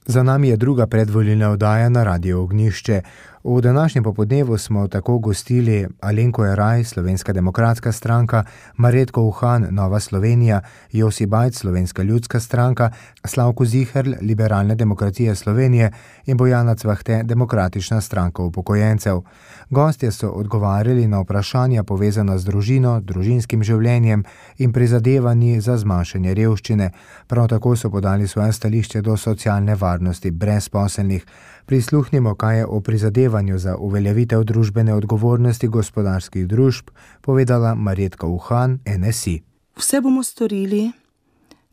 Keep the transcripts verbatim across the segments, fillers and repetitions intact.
Za nami je druga predvolilna oddaja na Radiu Ognjišče. V današnjem popodnevu smo tako gostili Alenko Jeraj, Slovenska demokratska stranka, Marjetko Uhan, Nova Slovenija, Josi Bajc, Slovenska ljudska stranka, Slavko Ziherl, Liberalne demokracije Slovenije in Bojana Cvahte, Demokratična stranka upokojencev. Gostje so odgovarjali na vprašanja povezana z družino, družinskim življenjem in prizadevanji za zmanjšanje revščine. Prav tako so podali svoje stališče do socialne varnosti brezposelnih. Prisluhnimo, kaj je o prizadevanju za uveljavitev družbene odgovornosti gospodarskih družb povedala Marjetka Uhan, N S I. Vse bomo storili,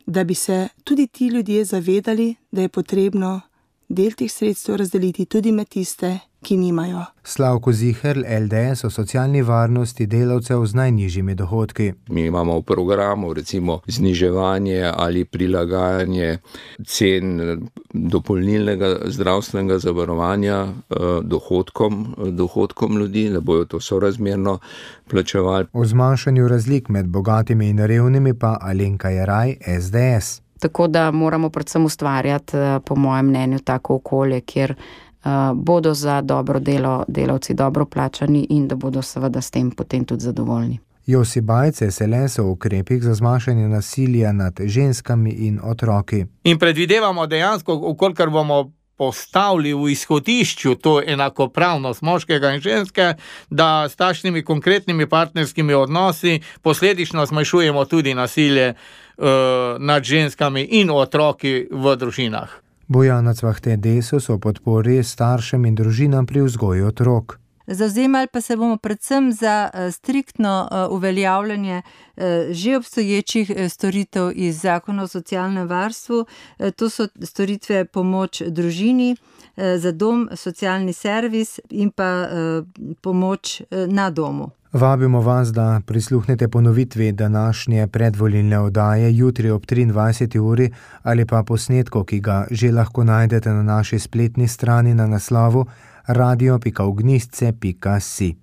da bi se tudi ti ljudje zavedali, da je potrebno del teh sredstev razdeliti tudi med tiste, ki nimajo. Slavko Ziherl, L D S o socialni varnosti delavcev z najnižjimi dohodki. Mi imamo v programu recimo zniževanje ali prilagajanje cen dopolnilnega zdravstvenega zavarovanja dohodkom, dohodkom ljudi, da bojo to sorazmerno plačevali. O zmanjšanju razlik med bogatimi in revnimi pa Alenka Jeraj, S D S. Tako da moramo predvsem ustvarjati, po mojem mnenju, tako okolje, kjer bodo za dobro delo delavci dobro plačani in da bodo seveda s tem potem tudi zadovoljni. Josi Bajc, S L S o ukrepih za zmanjšanje nasilja nad ženskami in otroki. In predvidevamo dejansko, ukolikor bomo postavili v izhodišču to enakopravnost moškega in ženske, da s takšnimi konkretnimi partnerskimi odnosi posledično zmanjšujemo tudi nasilje uh, nad ženskami in otroki v družinah. Bojana Cvahte, Desus o podpori staršem in družinam pri vzgoji otrok. Zavzemali pa se bomo predvsem za striktno uveljavljanje že obstoječih storitev iz Zakona o socialnem varstvu. To so storitve pomoč družini, za dom, socialni servis in pa pomoč na domu. Vabimo vas, da prisluhnete ponovitvi današnje predvolilne oddaje jutri ob triindvajseti uri ali pa posnetku, ki ga že lahko najdete na naši spletni strani na naslovu radio pika ognjišče pika si.